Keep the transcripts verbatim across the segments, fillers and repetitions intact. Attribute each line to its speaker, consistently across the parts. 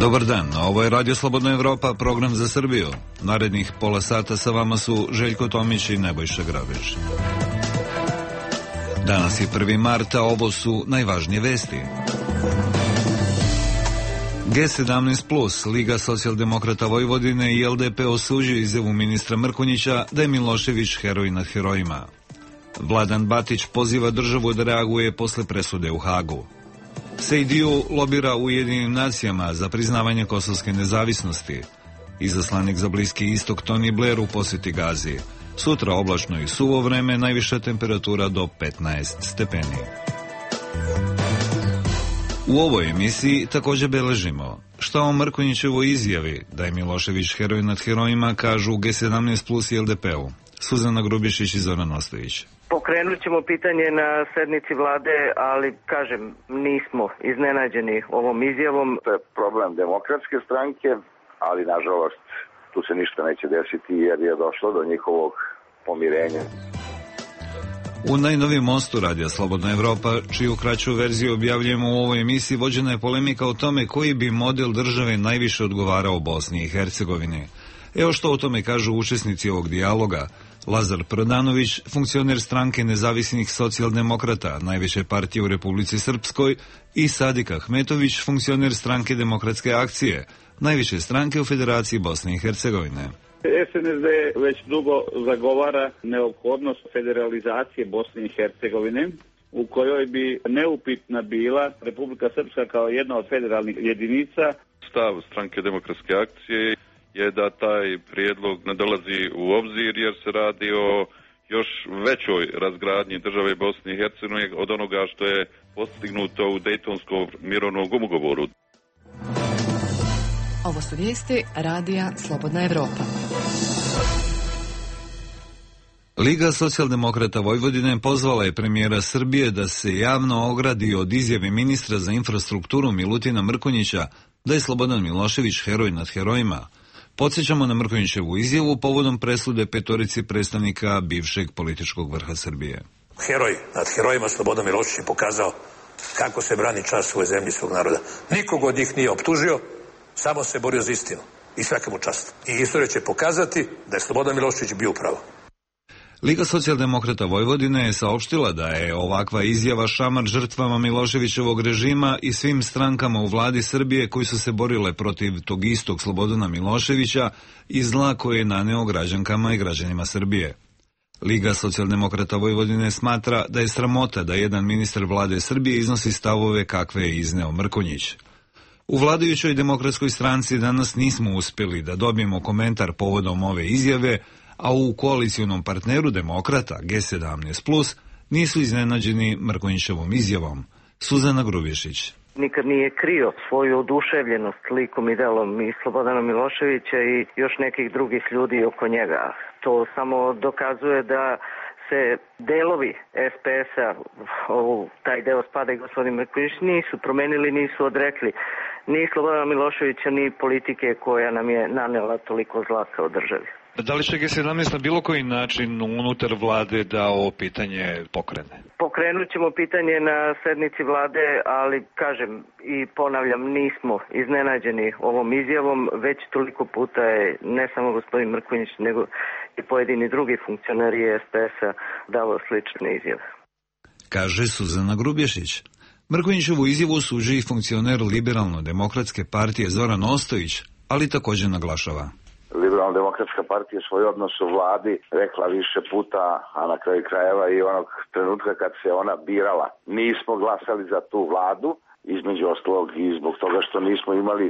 Speaker 1: Dobar dan, ovo je Radio Slobodna Evropa, program za Srbiju. Narednih pola sata sa vama su Željko Tomić i Nebojša Grabež. Danas je prvi marta, ovo su najvažnije vesti. G sedamnaest plus, Liga socijaldemokrata Vojvodine i L D P osuđuju izjavu ministra Mrkonjića da je Milošević heroj nad herojima. Vladan Batić poziva državu da reaguje posle presude u Hagu. Sejdiu lobira u Ujedinjenim nacijama za priznavanje kosovske nezavisnosti. Izaslanik za Bliski istok Tony Blair u posjeti Gazi. Sutra oblačno i suvo vreme, najviša temperatura do petnaest stepeni. U ovoj emisiji također beležimo šta o Mrkonjićevoj izjavi da je Milošević heroj nad herojima kažu G sedamnaest plus i L D P-u. Suzana Grubišić i Zoran Ostojić.
Speaker 2: Pokrenut ćemo pitanje na sednici vlade, ali kažem, nismo iznenađeni ovom izjavom.
Speaker 3: To je problem Demokratske stranke, ali nažalost tu se ništa neće desiti jer je došlo do njihovog pomirenja.
Speaker 1: U najnovijem mostu Radija Slobodna Evropa, čiju kraću verziju objavljujemo u ovoj emisiji, vođena je polemika o tome koji bi model države najviše odgovarao Bosni i Hercegovini. Evo što o tome kažu učesnici ovog dijaloga. Lazar Prodanović, funkcioner stranke nezavisnih socijaldemokrata, najveće partije u Republici Srpskoj, i Sadik Ahmetović, funkcioner stranke Demokratske akcije, najviše stranke u Federaciji Bosne i Hercegovine.
Speaker 4: S N S D već dugo zagovara neophodnost federalizacije Bosne i Hercegovine, u kojoj bi neupitna bila Republika Srpska kao jedna od federalnih jedinica.
Speaker 5: Stav stranke Demokratske akcije je da taj prijedlog ne dolazi u obzir jer se radi o još većoj razgradnji države Bosne i Hercegovine od onoga što je postignuto u Dejtonskom mirovnom ugovoru.
Speaker 6: Ovo su vijesti Radija Slobodna Evropa.
Speaker 1: Liga socijaldemokrata Vojvodine pozvala je premijera Srbije da se javno ogradi od izjave ministra za infrastrukturu Milutina Mrkonjića da je Slobodan Milošević heroj nad herojima. Podsjećamo na Mrkonjićevu izjavu povodom presude petorici predstavnika bivšeg političkog vrha Srbije.
Speaker 7: Heroj nad herojima Slobodan Milošević je pokazao kako se brani čast svoje zemlje i svog naroda. Nikog od njih nije optužio, samo se borio za istinu i svaka mu čast. I istorija će pokazati da je Slobodan Milošević bio upravo.
Speaker 1: Liga socijaldemokrata Vojvodine je saopštila da je ovakva izjava šamar žrtvama Miloševićevog režima i svim strankama u vladi Srbije koji su se borile protiv tog istog Slobodana Miloševića i zla koje je naneo građankama i građanima Srbije. Liga socijaldemokrata Vojvodine smatra da je sramota da jedan ministar vlade Srbije iznosi stavove kakve je izneo Mrkonjić. U vladajućoj Demokratskoj stranci danas nismo uspjeli da dobijemo komentar povodom ove izjave, a u koalicionom partneru Demokrata G sedamnaest plus nisu iznenađeni Mrkonjićevom izjavom. Suzana Grubišić.
Speaker 2: Nikad nije krio svoju oduševljenost likom i delom i Slobodana Miloševića i još nekih drugih ljudi oko njega. To samo dokazuje da se delovi S P S-a, u taj deo spada i gospodin Mrkonjić, nisu promenili, nisu odrekli ni Slobodana Miloševića, ni politike koja nam je nanela toliko zla kao državi.
Speaker 1: Da li će G sedamnaest na bilo koji način unutar vlade da ovo pitanje pokrene?
Speaker 2: Pokrenut ćemo pitanje na sednici vlade, ali kažem i ponavljam, nismo iznenađeni ovom izjavom, već toliko puta je ne samo gospodin Mrkonjić, nego i pojedini drugi funkcioneri S P S-a davao slične izjave.
Speaker 1: Kaže Suzana Grubješić. Mrkonjićevu izjavu osuđuje i funkcioner Liberalno-demokratske partije Zoran Ostojić, ali također naglašava.
Speaker 3: Liberalno-demokratska partija svoj odnos u vladi rekla više puta, a na kraju krajeva i onog trenutka kad se ona birala. Nismo glasali za tu vladu, između ostalog i zbog toga što nismo imali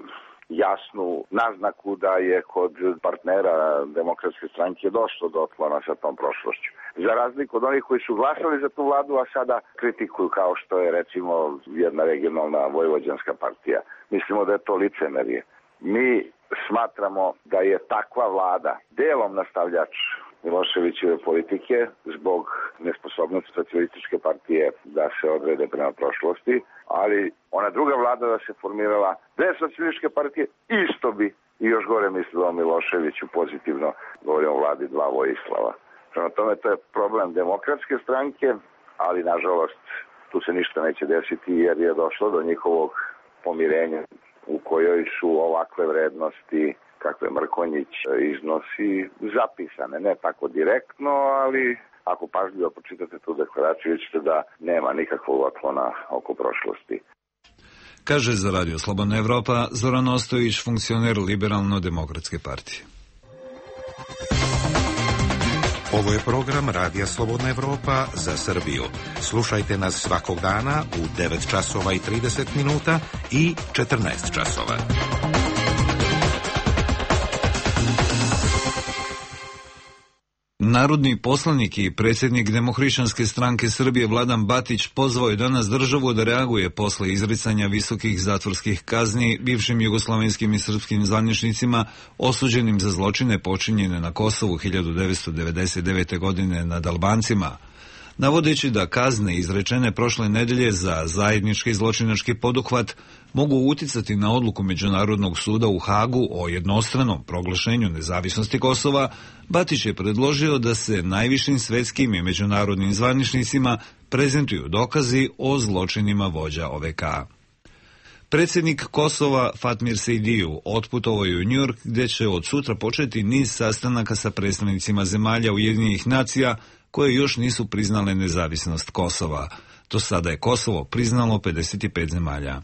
Speaker 3: jasnu naznaku da je kod partnera Demokratske stranke došlo do otklona sa tom prošlošću. Za razliku od onih koji su glasali za tu vladu, a sada kritikuju kao što je recimo jedna regionalna vojvođanska partija. Mislimo da je to licemerje. Mi smatramo da je takva vlada delom nastavljač Miloševićeve politike zbog nesposobnosti socijalističke partije da se odrede prema prošlosti, ali ona druga vlada da se formirala bez socijalističke partije isto bi i još gore mislila o Miloševiću pozitivno, govorimo o vladi dva Vojislava. Prema tome to je problem Demokratske stranke, ali nažalost tu se ništa neće desiti jer je došlo do njihovog pomirenja. u kojoj su ovakve vrednosti kakve Mrkonjić iznosi zapisane, ne tako direktno, ali ako pažljivo pročitate tu deklaraciju, vidite da nema nikakvog otklona oko prošlosti.
Speaker 1: Kaže za Radio Slobodna Evropa Zoran Ostojić, funkcioner Liberalno-demokratske partije.
Speaker 8: Ovo je program Radija Slobodna Evropa za Srbiju. Slušajte nas svakog dana u devet časova i trideset minuta i četrnaest časova.
Speaker 1: Narodni poslanik i predsjednik Demohrišćanske stranke Srbije Vladan Batić pozvao je danas državu da reaguje posle izricanja visokih zatvorskih kazni bivšim jugoslovenskim i srpskim zvaničnicima osuđenim za zločine počinjene na Kosovu hiljadu devetsto devedeset devete. godine nad Albancima. Navodeći da kazne izrečene prošle nedelje za zajednički zločinački poduhvat mogu uticati na odluku Međunarodnog suda u Hagu o jednostranom proglašenju nezavisnosti Kosova, Batić je predložio da se najvišim svetskim i međunarodnim zvaničnicima prezentuju dokazi o zločinima vođa O V K. Predsjednik Kosova Fatmir Sejdiju otputovao je u Njujork gdje će od sutra početi niz sastanaka sa predstavnicima zemalja Ujedinjenih nacija koje još nisu priznale nezavisnost Kosova. Do sada je Kosovo priznalo pedeset pet zemalja.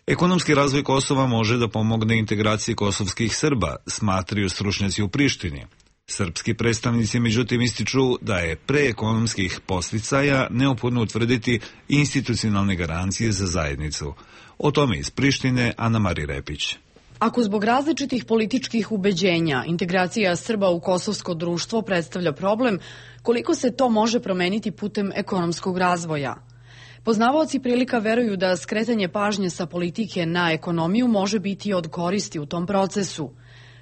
Speaker 1: Ekonomski razvoj Kosova može da pomogne integraciji kosovskih Srba, smatraju stručnjaci u Prištini. Srpski predstavnici međutim ističu da je pre ekonomskih posticaja neophodno utvrditi institucionalne garancije za zajednicu. O tome iz Prištine Ana Mari Repić.
Speaker 9: Ako zbog različitih političkih ubeđenja integracija Srba u kosovsko društvo predstavlja problem, koliko se to može promeniti putem ekonomskog razvoja? Poznavaoci prilika veruju da skretanje pažnje sa politike na ekonomiju može biti od koristi u tom procesu.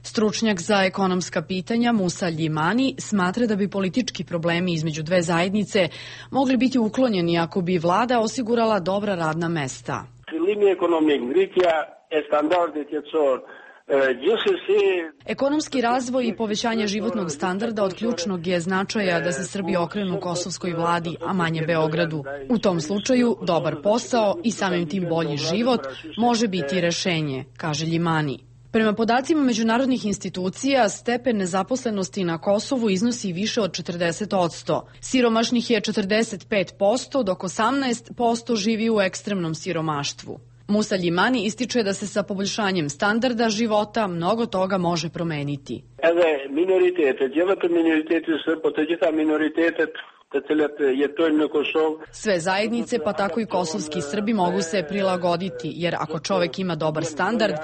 Speaker 9: Stručnjak za ekonomska pitanja Musa Ljimani smatra da bi politički problemi između dve zajednice mogli biti uklonjeni ako bi vlada osigurala dobra radna mesta. Ekonomski razvoj i povećanje životnog standarda od ključnog je značaja da se Srbi okrenu kosovskoj vladi, a manje Beogradu. U tom slučaju dobar posao i samim tim bolji život može biti rešenje, kaže Ljimani. Prema podacima međunarodnih institucija, stepen nezaposlenosti na Kosovu iznosi više od četrdeset posto. Siromašnih je četrdeset pet posto, dok osamnaest posto živi u ekstremnom siromaštvu. Musa Ljimani ističe da se sa poboljšanjem standarda života mnogo toga može promeniti. Sve zajednice, pa tako i kosovski Srbi, mogu se prilagoditi, jer ako čovek ima dobar standard,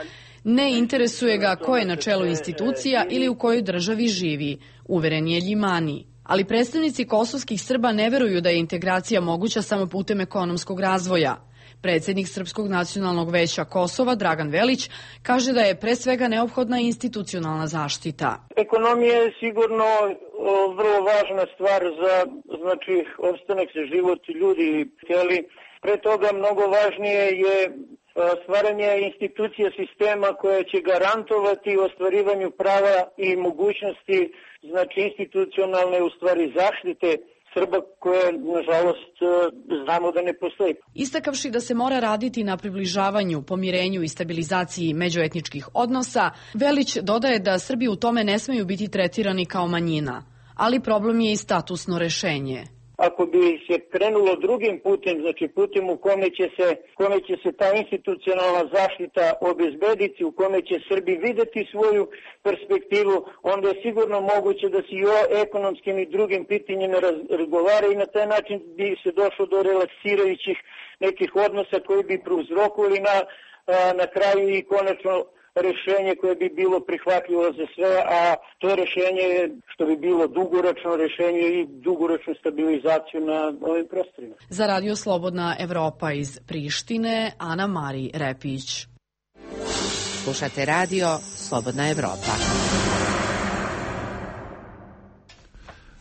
Speaker 9: ne interesuje ga ko je na čelu institucija ili u kojoj državi živi, uveren je Ljimani. Ali predstavnici kosovskih Srba ne veruju da je integracija moguća samo putem ekonomskog razvoja. Predsjednik Srpskog nacionalnog veća Kosova, Dragan Velić, kaže da je pre svega neophodna institucionalna zaštita.
Speaker 10: Ekonomija je sigurno vrlo važna stvar za, znači, opstanak za život ljudi, ali pre toga mnogo važnije je stvaranje institucija sistema koja će garantovati ostvarivanju prava i mogućnosti, znači institucionalne u stvari zaštite Srba koje, nažalost, znamo da ne postoji.
Speaker 9: Istakavši da se mora raditi na približavanju, pomirenju i stabilizaciji međuetničkih odnosa, Velić dodaje da Srbi u tome ne smeju biti tretirani kao manjina, ali problem je i statusno rešenje.
Speaker 10: Ako bi se krenulo drugim putem, znači putem u kome će se, kome će se ta institucionalna zaštita obezbediti, u kome će Srbi videti svoju perspektivu, onda je sigurno moguće da se i o ekonomskim i drugim pitanjima razgovara i na taj način bi se došlo do relaksirajućih nekih odnosa koji bi prouzrokovali na, na kraju i konačno rešenje koje bi bilo prihvatljivo za sve, a to rešenje što bi bilo dugoročno rešenje i dugoročnu stabilizaciju na ovim prostorima.
Speaker 9: Za Radio Slobodna Evropa iz Prištine, Ana Mari Repić.
Speaker 11: Slušate Radio Slobodna Evropa.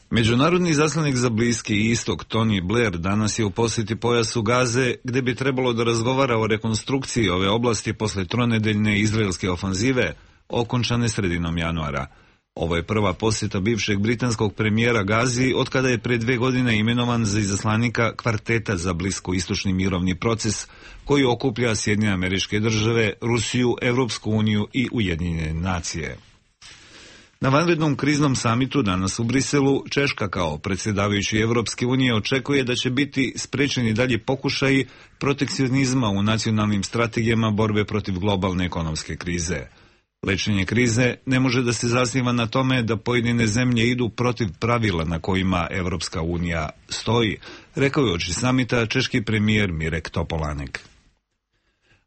Speaker 1: Međunarodni zaslanik za Bliski istok Tony Blair danas je u posjeti pojasu Gaze, gde bi trebalo da razgovara o rekonstrukciji ove oblasti posle tronedeljne izraelske ofanzive, okončane sredinom januara. Ovo je prva posjeta bivšeg britanskog premijera Gazi od kada je pre dve godine imenovan za izaslanika kvarteta za bliskoistočni mirovni proces koji okuplja Sjedinjene Američke Države, Rusiju, Evropsku uniju i Ujedinjene nacije. Na vanrednom kriznom samitu danas u Briselu, Češka kao predsjedavajući Evropske unije očekuje da će biti sprečeni dalje pokušaji protekcionizma u nacionalnim strategijama borbe protiv globalne ekonomske krize. Lečenje krize ne može da se zasniva na tome da pojedine zemlje idu protiv pravila na kojima Evropska unija stoji, rekao je uoči samita češki premijer Mirek Topolanek.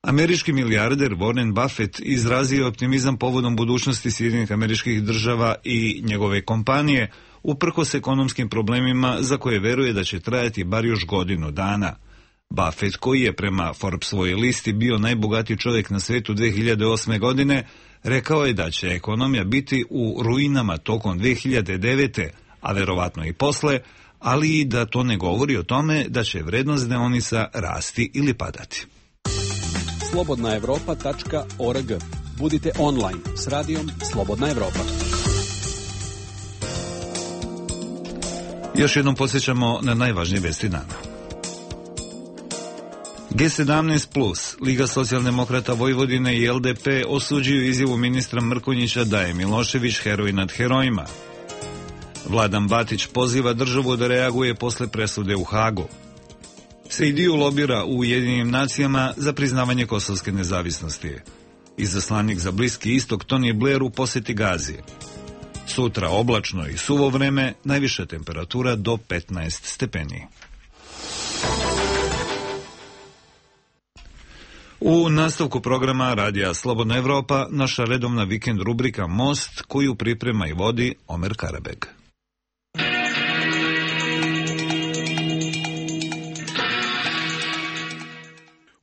Speaker 1: Američki milijarder Warren Buffett izrazio optimizam povodom budućnosti Sjedinjenih Američkih Država i njegove kompanije, uprkos ekonomskim problemima za koje veruje da će trajati bar još godinu dana. Buffett, koji je prema Forbesovoj listi bio najbogatiji čovjek na svetu dve hiljade osme. godine, rekao je da će ekonomija biti u ruinama tokom dve hiljade devete. a verovatno i posle, ali i da to ne govori o tome da će vrednost deonica rasti ili padati.
Speaker 12: slobodna evropa tačka org. Budite online s radijom Slobodna Evropa.
Speaker 1: Još jednom podsjećamo na najvažnije vesti dana. G sedamnaest plus, Liga socijaldemokrata Vojvodine i L D P osuđuju izjavu ministra Mrkonjića da je Milošević heroj nad herojima. Vladan Batić poziva državu da reaguje posle presude u Hagu. Sejdiju lobira u Ujedinjenim nacijama za priznavanje kosovske nezavisnosti. Izaslanik za Bliski istok Tony Blair u poseti Gazi. Sutra oblačno i suvo vreme, najviša temperatura do petnaest stepeni. U nastavku programa Radija Slobodna Evropa, naša redovna vikend rubrika Most, koju priprema i vodi Omer Karabeg.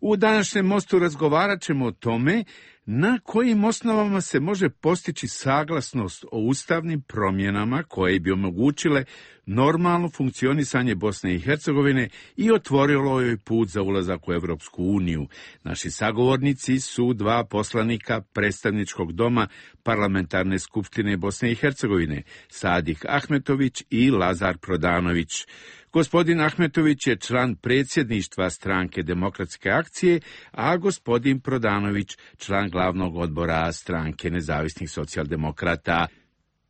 Speaker 13: U današnjem mostu razgovarat ćemo o tome na kojim osnovama se može postići saglasnost o ustavnim promjenama koje bi omogućile normalno funkcionisanje Bosne i Hercegovine i otvorilo joj put za ulazak u Evropsku uniju. Naši sagovornici su dva poslanika predstavničkog doma Parlamentarne skupštine Bosne i Hercegovine, Sadik Ahmetović i Lazar Prodanović. Gospodin Ahmetović je član predsjedništva Stranke demokratske akcije, a gospodin Prodanović član glavnog odbora Stranke nezavisnih socijaldemokrata.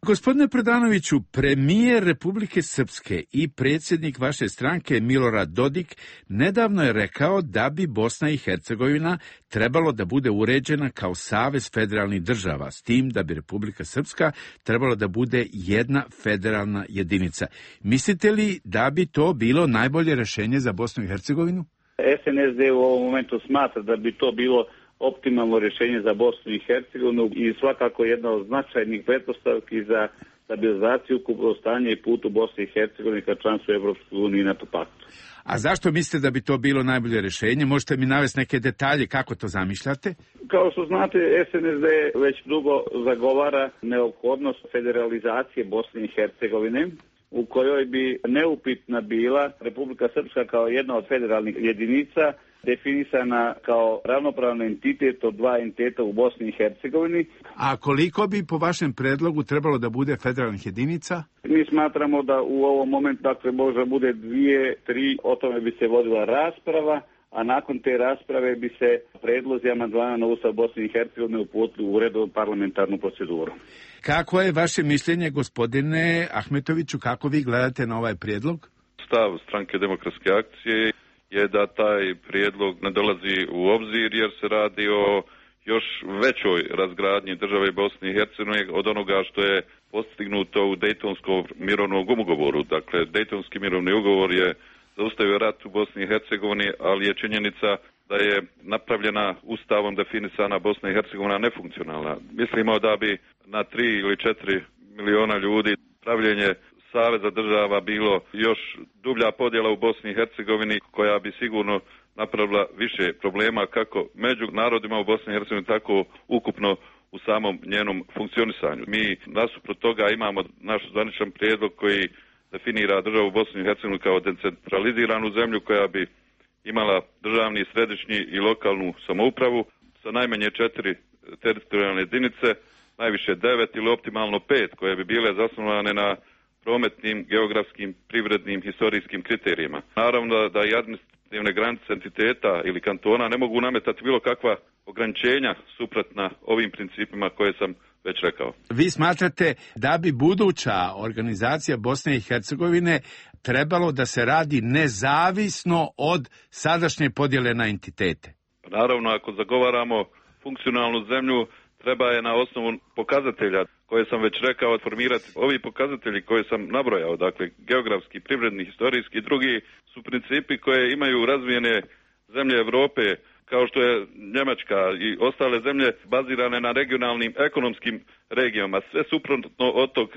Speaker 13: Gospodine Prodanoviću, premijer Republike Srpske i predsjednik vaše stranke Milorad Dodik nedavno je rekao da bi Bosna i Hercegovina trebalo da bude uređena kao savez federalnih država, s tim da bi Republika Srpska trebalo da bude jedna federalna jedinica. Mislite li da bi to bilo najbolje rješenje za Bosnu i Hercegovinu?
Speaker 4: S N S D u ovom momentu smatra da bi to bilo optimalno rješenje za Bosnu i Hercegovinu i svakako jedna od značajnih pretpostavki za stabilizaciju, ukupno stanje i put u Bosni i Hercegovini ka članstvu Evropskoj uniji i NATO paktu.
Speaker 13: A zašto mislite da bi to bilo najbolje rješenje? Možete mi navesti neke detalje kako to zamišljate?
Speaker 4: Kao što znate, S N S D već dugo zagovara neophodnost federalizacije Bosne i Hercegovine, u kojoj bi neupitna bila Republika Srpska kao jedna od federalnih jedinica, definisana kao ravnopravni entitet od dva entiteta u Bosni i Hercegovini.
Speaker 13: A koliko bi po vašem predlogu trebalo da bude federalnih jedinica?
Speaker 4: Mi smatramo da u ovom momentu dakle možda bude dvije, tri, o tome bi se vodila rasprava, a nakon te rasprave bi se predlozi amandmana na Ustav Bosne i Hercegovine uputili u redovnu parlamentarnu proceduru.
Speaker 13: Kako je vaše mišljenje, gospodine Ahmetoviću, kako vi gledate na ovaj prijedlog?
Speaker 5: Stav Stranke demokratske akcije je da taj prijedlog ne dolazi u obzir jer se radi o još većoj razgradnji države Bosne i Hercegovine od onoga što je postignuto u Dejtonskom mirovnom ugovoru. Dakle, Dejtonski mirovni ugovor je zaustavio rat u Bosni i Hercegovini, ali je činjenica da je napravljena ustavom definisana Bosna i Hercegovina nefunkcionalna. Mislimo da bi na tri ili četiri miliona ljudi pravljenje saveza država bilo još dublja podjela u Bosni i Hercegovini koja bi sigurno napravila više problema kako među narodima u Bosni i Hercegovini, tako ukupno u samom njenom funkcionisanju. Mi nasuprot toga imamo naš zvaničan prijedlog koji definira državu Bosnu i Hercegovinu kao decentraliziranu zemlju koja bi imala državni, središnji i lokalnu samoupravu sa najmanje četiri teritorijalne jedinice najviše devet ili optimalno pet, koje bi bile zasnovane na prometnim, geografskim, privrednim, historijskim kriterijima. Naravno da, da i administrativne granice entiteta ili kantona ne mogu nametati bilo kakva ograničenja suprotna ovim principima koje sam već rekao.
Speaker 13: Vi smatrate da bi buduća organizacija Bosne i Hercegovine trebalo da se radi nezavisno od sadašnje podjele na entitete?
Speaker 5: Naravno, ako zagovaramo funkcionalnu zemlju, treba je na osnovu pokazatelja koje sam već rekao formirati. Ovi pokazatelji koje sam nabrojao, dakle geografski, privredni, historijski i drugi, su principi koje imaju razvijene zemlje Europe, kao što je Njemačka i ostale zemlje bazirane na regionalnim ekonomskim regijama. Sve suprotno od tog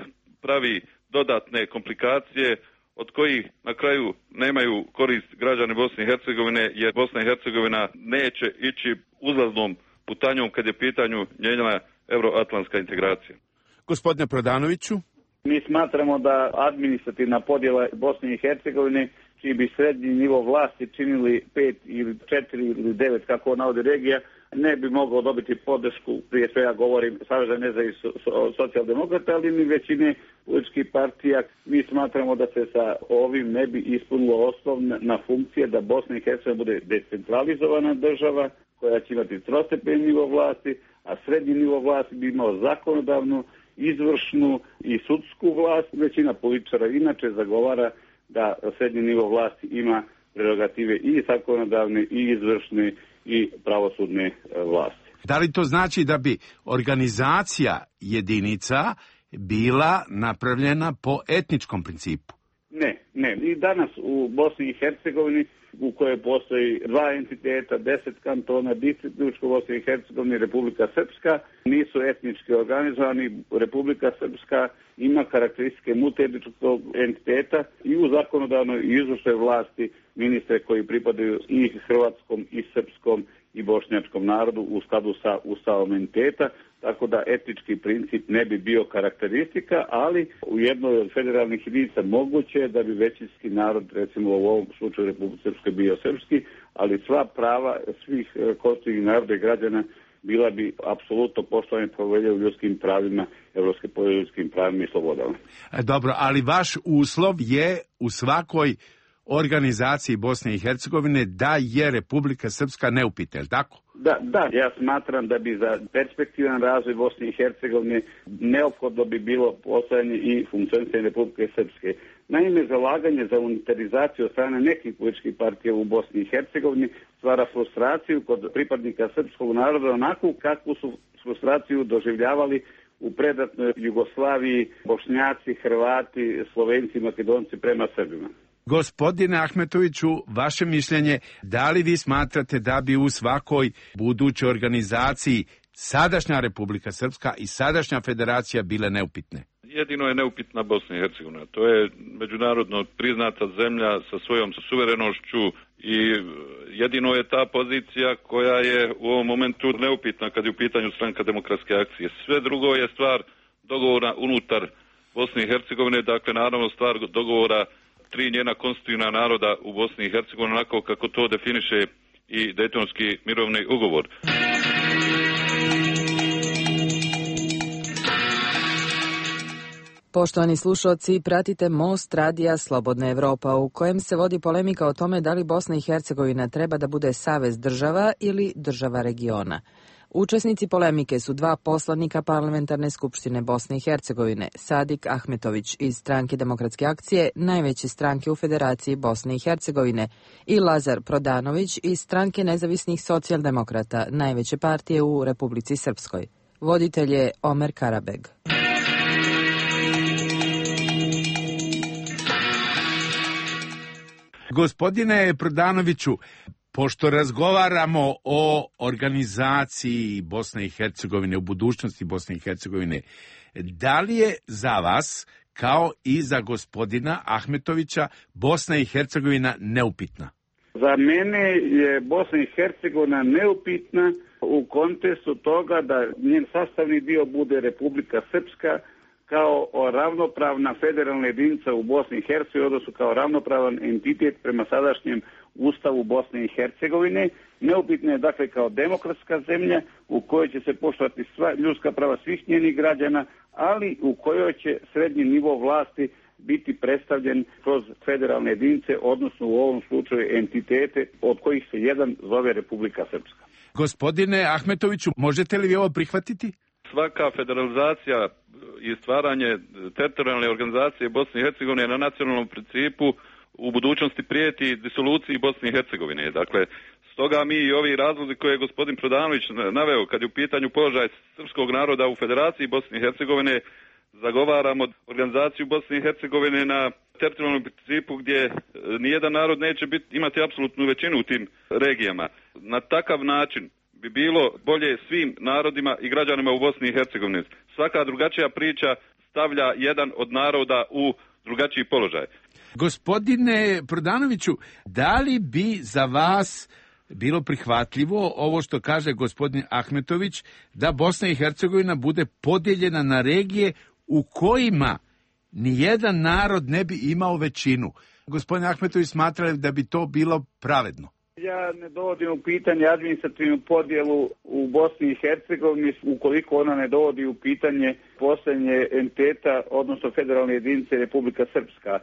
Speaker 5: pravi dodatne komplikacije od kojih na kraju nemaju korist građani Bosne i Hercegovine, jer Bosna i Hercegovina neće ići uzlaznom putanjom kad je pitanju njena euroatlantska integracija.
Speaker 13: Gospodine Prodanoviću?
Speaker 4: Mi smatramo da administrativna podjela Bosne i Hercegovine, čiji bi srednji nivo vlasti činili pet ili četiri ili devet, kako navodi regija, ne bi mogao dobiti podršku, prije svega govorim Saveza nezavisnih socijaldemokrata, ali ni većine političkih partija. Mi smatramo da se sa ovim ne bi ispunilo osnovna funkcija da Bosna i Hercegovina bude decentralizovana država koja će imati trostepeni nivo vlasti, a srednji nivo vlasti bi imao zakonodavnu, izvršnu i sudsku vlast. Većina političara inače zagovara da srednji nivo vlasti ima prerogative i zakonodavne i izvršne i pravosudne vlasti.
Speaker 13: Da li to znači da bi organizacija jedinica bila napravljena po etničkom principu?
Speaker 4: Ne, ne. I danas u Bosni i Hercegovini, u kojoj postoji dva entiteta, deset kantona, Distriktničko Bosne i Hercegovine i Republika Srpska, nisu etnički organizovani. Republika Srpska ima karakteristike multietničkog entiteta i u zakonodavnoj i izvršnoj vlasti ministre koji pripadaju i hrvatskom i srpskom i bošnjačkom narodu u skladu sa ustavom entiteta, tako da etnički princip ne bi bio karakteristika, ali u jednoj od federalnih jedinica moguće je da bi većinski narod, recimo u ovom slučaju Republike Srpske, bio srpski, ali sva prava svih konstitutivnih naroda i građana bila bi apsolutno poštovane povelje u ljudskim pravima, Evropske povelje o ljudskim pravima i slobodama.
Speaker 13: Dobro, ali vaš uslov je u svakoj organizaciji Bosne i Hercegovine da je Republika Srpska neupitna, je li tako?
Speaker 4: Da, da, ja smatram da bi za perspektivan razvoj Bosne i Hercegovine neophodno bi bilo postojanje i funkcionisanje Republike Srpske. Naime, zalaganje za unitarizaciju od strane nekih političkih partija u Bosni i Hercegovini stvara frustraciju kod pripadnika srpskog naroda onako kakvu su frustraciju doživljavali u predatnoj Jugoslaviji Bošnjaci, Hrvati, Slovenci, Makedonci prema Srbima.
Speaker 13: Gospodine Ahmetoviću, vaše mišljenje, da li vi smatrate da bi u svakoj budućoj organizaciji sadašnja Republika Srpska i sadašnja federacija bile neupitne?
Speaker 5: Jedino je neupitna Bosna i Hercegovina. To je međunarodno priznata zemlja sa svojom suverenošću i jedino je ta pozicija koja je u ovom momentu neupitna kad je u pitanju Stranka demokratske akcije. Sve drugo je stvar dogovora unutar Bosne i Hercegovine, dakle naravno stvar dogovora tri njena konstitutivna naroda u Bosni i Hercegovini, onako kako to definiše i Dejtonski mirovni ugovor.
Speaker 14: Poštovani slušalci, pratite Most radija Slobodna Evropa, u kojem se vodi polemika o tome da li Bosna i Hercegovina treba da bude savez država ili država regiona. Učesnici polemike su dva poslanika Parlamentarne skupštine Bosne i Hercegovine, Sadik Ahmetović iz Stranke demokratske akcije, najveće stranke u Federaciji Bosne i Hercegovine, i Lazar Prodanović iz Stranke nezavisnih socijaldemokrata, najveće partije u Republici Srpskoj. Voditelj je Omer Karabeg.
Speaker 13: Gospodine Prodanoviću, pošto razgovaramo o organizaciji Bosne i Hercegovine, u budućnosti Bosne i Hercegovine, da li je za vas, kao i za gospodina Ahmetovića, Bosna i Hercegovina neupitna?
Speaker 4: Za mene je Bosna i Hercegovina neupitna u kontekstu toga da njen sastavni dio bude Republika Srpska kao ravnopravna federalna jedinica u Bosni i Hercegovini, odnosno kao ravnopravan entitet prema sadašnjem Ustavu Bosne i Hercegovine, Neupitna je dakle kao demokratska zemlja u kojoj će se poštovati sva ljudska prava svih njenih građana, ali u kojoj će srednji nivo vlasti biti predstavljen kroz federalne jedinice, odnosno u ovom slučaju entitete od kojih se jedan zove Republika Srpska.
Speaker 13: Gospodine Ahmetoviću, možete li vi ovo prihvatiti?
Speaker 5: Svaka federalizacija i stvaranje teritorijalne organizacije Bosne i Hercegovine na nacionalnom principu u budućnosti prijeti disoluciji Bosne i Hercegovine. Dakle, stoga mi i ovi razlozi koje je gospodin Prodanović naveo kad je u pitanju položaj srpskog naroda u Federaciji Bosne i Hercegovine, zagovaramo organizaciju Bosne i Hercegovine na teritorijalnom principu gdje nijedan narod neće biti, imati apsolutnu većinu u tim regijama. Na takav način bi bilo bolje svim narodima i građanima u Bosni i Hercegovini. Svaka drugačija priča stavlja jedan od naroda u drugačiji položaj.
Speaker 13: Gospodine Prodanoviću, da li bi za vas bilo prihvatljivo ovo što kaže gospodin Ahmetović, da Bosna i Hercegovina bude podijeljena na regije u kojima nijedan narod ne bi imao većinu? Gospodin Ahmetović smatra da bi to bilo pravedno.
Speaker 4: Ja ne dovodim u pitanje administrativnu podjelu u Bosni i Hercegovini ukoliko ona ne dovodi u pitanje postojanje entiteta, odnosno federalne jedinice Republika Srpska.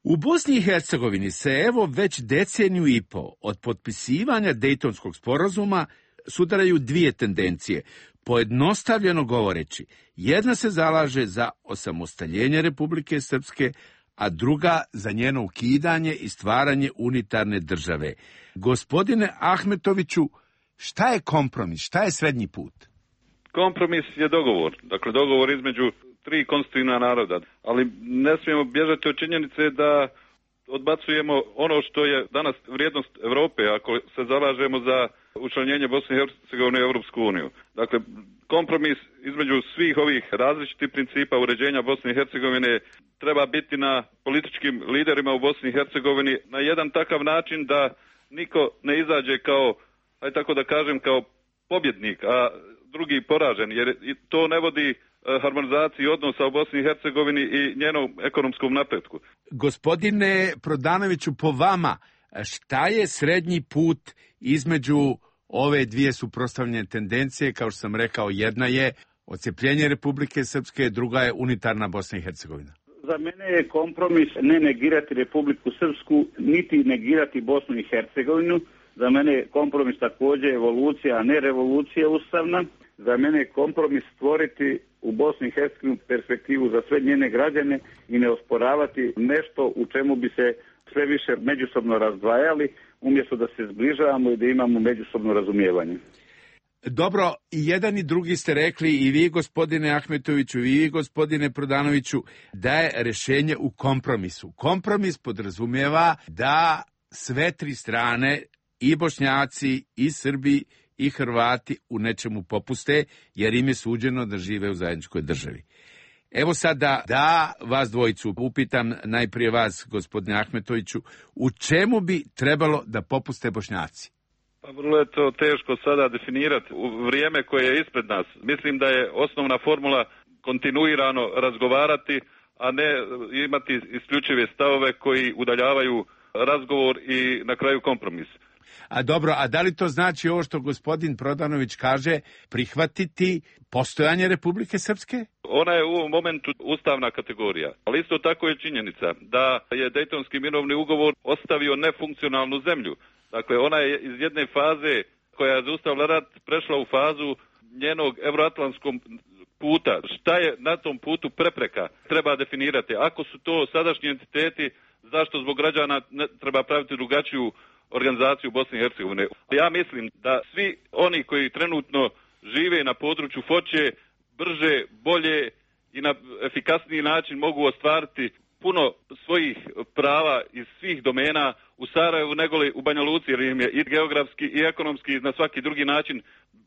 Speaker 13: U Bosni i Hercegovini se evo već deceniju i po od potpisivanja Dejtonskog sporazuma sudaraju dvije tendencije. Pojednostavljeno govoreći, jedna se zalaže za osamostaljenje Republike Srpske, a druga za njeno ukidanje i stvaranje unitarne države. Gospodine Ahmetoviću, šta je kompromis, šta je srednji put?
Speaker 5: Kompromis je dogovor, dakle dogovor između tri konstitutivna naroda, ali ne smijemo bježati od činjenice da odbacujemo ono što je danas vrijednost Europe ako se zalažemo za učlanjenje Bosne i Hercegovine u Europsku uniju. Dakle, kompromis između svih ovih različitih principa uređenja Bosne i Hercegovine treba biti na političkim liderima u Bosni i Hercegovini na jedan takav način da niko ne izađe kao, aj tako da kažem, kao pobjednik, a drugi poražen, jer to ne vodi harmonizaciji odnosa u Bosni i Hercegovini i njenom ekonomskom napretku.
Speaker 13: Gospodine Prodanoviću, po vama, šta je srednji put između ove dvije suprotstavljene tendencije? Kao što sam rekao, jedna je odcepljenje Republike Srpske, druga je unitarna Bosna i Hercegovina.
Speaker 4: Za mene je kompromis ne negirati Republiku Srpsku, niti negirati Bosnu i Hercegovinu. Za mene je kompromis također evolucija, a ne revolucija ustavna. Za mene je kompromis stvoriti u Bosni i Hercegovini perspektivu za sve njene građane i ne osporavati nešto u čemu bi se sve više međusobno razdvajali, umjesto da se zbližavamo i da imamo međusobno razumijevanje.
Speaker 13: Dobro, i jedan i drugi ste rekli, i vi gospodine Ahmetoviću, i vi gospodine Prodanoviću, da je rješenje u kompromisu. Kompromis podrazumijeva da sve tri strane, i Bošnjaci, i Srbi, i Hrvati u nečemu popuste, jer im je suđeno da žive u zajedničkoj državi. Evo sada da vas dvojicu upitam, najprije vas, gospodine Ahmetoviću, u čemu bi trebalo da popuste Bošnjaci?
Speaker 5: Pa vrlo je to teško sada definirati u vrijeme koje je ispred nas. Mislim da je osnovna formula kontinuirano razgovarati, a ne imati isključive stavove koji udaljavaju razgovor i na kraju kompromis.
Speaker 13: A dobro, a da li to znači ovo što gospodin Prodanović kaže, prihvatiti postojanje Republike Srpske?
Speaker 5: Ona je u ovom momentu ustavna kategorija, ali isto tako je činjenica da je Dejtonski mirovni ugovor ostavio nefunkcionalnu zemlju. Dakle, ona je iz jedne faze koja je zaustavila rat prešla u fazu njenog euroatlantskog puta. Šta je na tom putu prepreka? Treba definirati. Ako su to sadašnji entiteti, zašto zbog građana ne treba praviti drugačiju organizaciju Bosne i Hercegovine? Ja mislim da svi oni koji trenutno žive na području Foče brže, bolje i na efikasniji način mogu ostvariti puno svojih prava iz svih domena u Sarajevu nego li u Banja Luci, jer im je i geografski i ekonomski na svaki drugi način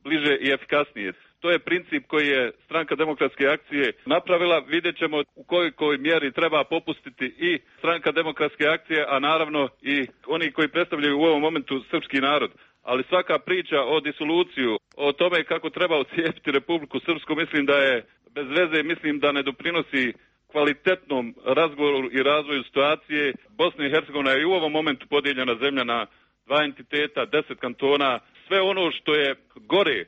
Speaker 5: bliže i efikasnije. To je princip koji je Stranka demokratske akcije napravila. Vidjet ćemo u kojoj mjeri treba popustiti i Stranka demokratske akcije, a naravno i oni koji predstavljaju u ovom momentu srpski narod. Ali svaka priča o disoluciju, o tome kako treba ocijepiti Republiku Srpsku, mislim da je bez veze, mislim da ne doprinosi kvalitetnom razgovoru i razvoju situacije. Bosna i Hercegovina je i u ovom momentu podijeljena zemlja na dva entiteta, deset kantona, sve ono što je gore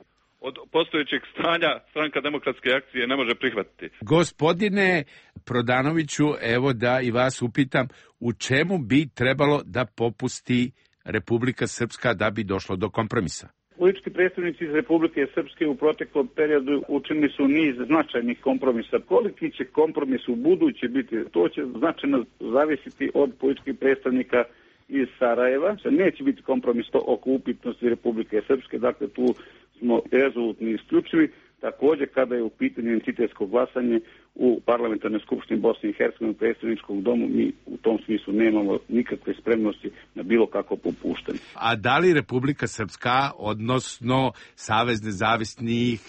Speaker 5: od postojećeg stanja Stranka demokratske akcije ne može prihvatiti.
Speaker 13: Gospodine Prodanoviću, evo da i vas upitam, u čemu bi trebalo da popusti Republika Srpska da bi došlo do kompromisa?
Speaker 4: Politički predstavnici iz Republike Srpske u proteklom periodu učinili su niz značajnih kompromisa. Koliki će kompromis u buduće biti, to će značajno zavisiti od političkih predstavnika iz Sarajeva. Neće biti kompromis to oko upitnosti Republike Srpske, dakle tu smo rezolutni i isključivi. Također kada je u pitanju entitetsko glasanje u Parlamentarnoj skupštini Bosne i Hercegovine u predstavničkom domu, mi u tom smislu nemamo nikakve spremnosti na bilo kakvo popuštanje.
Speaker 13: A da li Republika Srpska, odnosno Savez nezavisnih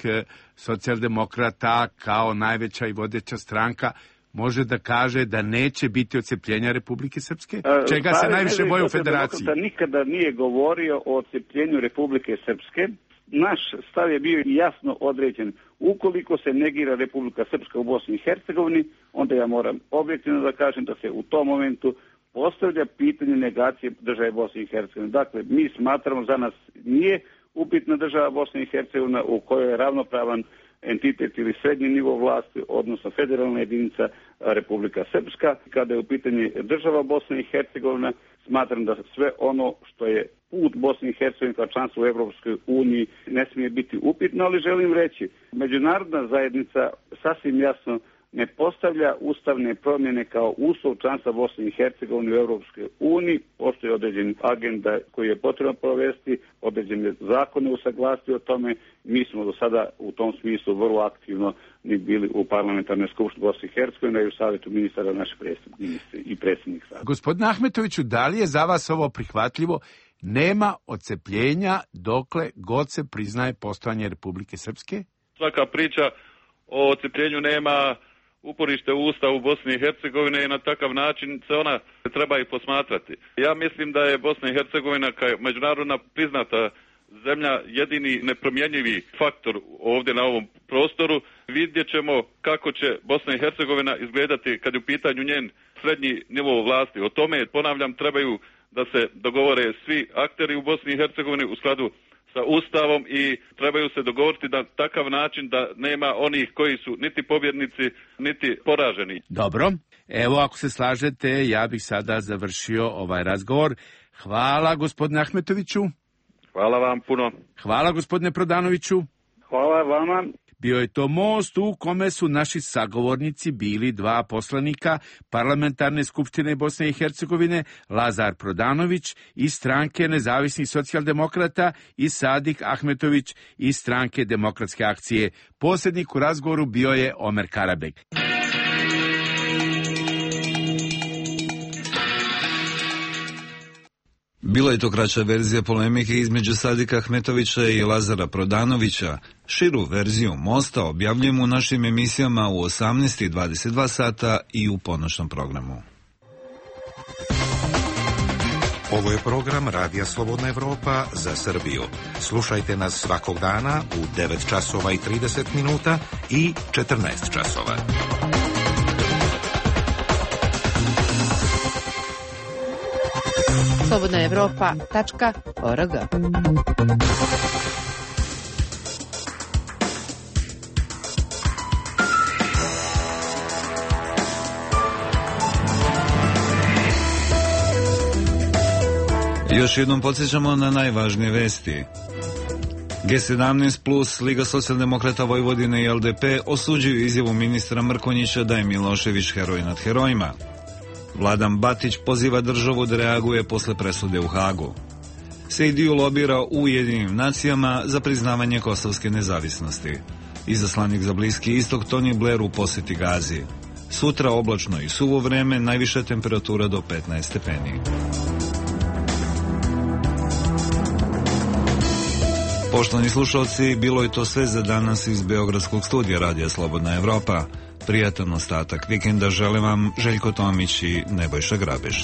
Speaker 13: socijaldemokrata kao najveća i vodeća stranka, može da kaže da neće biti odcepljenja Republike Srpske? Čega se najviše boje u federaciji?
Speaker 4: Nikada nije govorio o odcepljenju Republike Srpske. Naš stav je bio jasno određen. Ukoliko se negira Republika Srpska u Bosni i Hercegovini, onda ja moram objektivno da kažem da se u tom momentu postavlja pitanje negacije države Bosne i Hercegovine. Dakle, mi smatramo, za nas nije upitna država Bosne i Hercegovina u kojoj je ravnopravan entitet ili srednji nivo vlasti, odnosno federalna jedinica Republika Srpska. Kada je u pitanju država Bosne i Hercegovina, smatram da sve ono što je put Bosne i Hercegovine kao članstvo u Evropskoj uniji ne smije biti upitno, ali želim reći, međunarodna zajednica sasvim jasno ne postavlja ustavne promjene kao uslov članstva Bosne i Hercegovine u Evropskoj uniji. Postoji određen agenda koji je potrebno provesti, određene zakone usaglasiti o tome. Mi smo do sada u tom smislu vrlo aktivno ni bili u Parlamentarnoj skupštini Bosne i Hercegovine i u Savjetu ministara naše ministri i predsjednik Savjeta.
Speaker 13: Gospodine Ahmetoviću, da li je za vas ovo prihvatljivo? Nema odcepljenja dokle god se priznaje postojanje Republike Srpske?
Speaker 5: Svaka priča o odcepljenju nema uporište u Ustavu Bosne i Hercegovine i na takav način se ona treba i posmatrati. Ja mislim da je Bosna i Hercegovina kao međunarodna priznata zemlja jedini nepromjenjivi faktor ovdje na ovom prostoru. Vidjet ćemo kako će Bosna i Hercegovina izgledati kad je u pitanju njen srednji nivo vlasti. O tome, ponavljam, trebaju da se dogovore svi akteri u Bosni i Hercegovini u skladu sa Ustavom i trebaju se dogovoriti na takav način da nema onih koji su niti pobjednici, niti poraženi.
Speaker 13: Dobro, evo ako se slažete, ja bih sada završio ovaj razgovor. Hvala gospodine Ahmetoviću.
Speaker 5: Hvala vam puno.
Speaker 13: Hvala gospodine Prodanoviću.
Speaker 4: Hvala vama.
Speaker 13: Bio je to most u kome su naši sagovornici bili dva poslanika Parlamentarne skupštine Bosne i Hercegovine, Lazar Prodanović iz stranke nezavisnih socijaldemokrata i Sadik Ahmetović iz stranke Demokratske akcije. Posrednik u razgovoru bio je Omer Karabek.
Speaker 1: Bila je to kraća verzija polemike između Sadika Ahmetovića i Lazara Prodanovića. Širu verziju mosta objavljujemo u našim emisijama u osamnaest i dvadeset dva sata i u ponoćnom programu.
Speaker 8: Ovo je program Radija Slobodna Evropa za Srbiju. Slušajte nas svakog dana u devet časova i trideset minuta i četrnaest časova.
Speaker 11: slobodna evropa tačka org.
Speaker 1: Još jednom podsjećamo na najvažnije vesti. G sedamnaest plus, Liga socijaldemokrata Vojvodine i L D P osuđuju izjavu ministra Mrkonjića da je Milošević heroj nad herojima. Vladan Batić poziva državu da reaguje posle presude u Hagu. Sejdiu lobira u Ujedinjenim nacijama za priznavanje kosovske nezavisnosti. Izaslanik za Bliski istok Tony Blair u poseti Gazi. Sutra oblačno i suvo vreme, najviša temperatura do petnaest stepeni. Poštovani slušalci, bilo je to sve za danas iz Beogradskog studija Radija Slobodna Evropa. Prijatan ostatak vikenda žele vam Željko Tomić i Nebojša Grabež.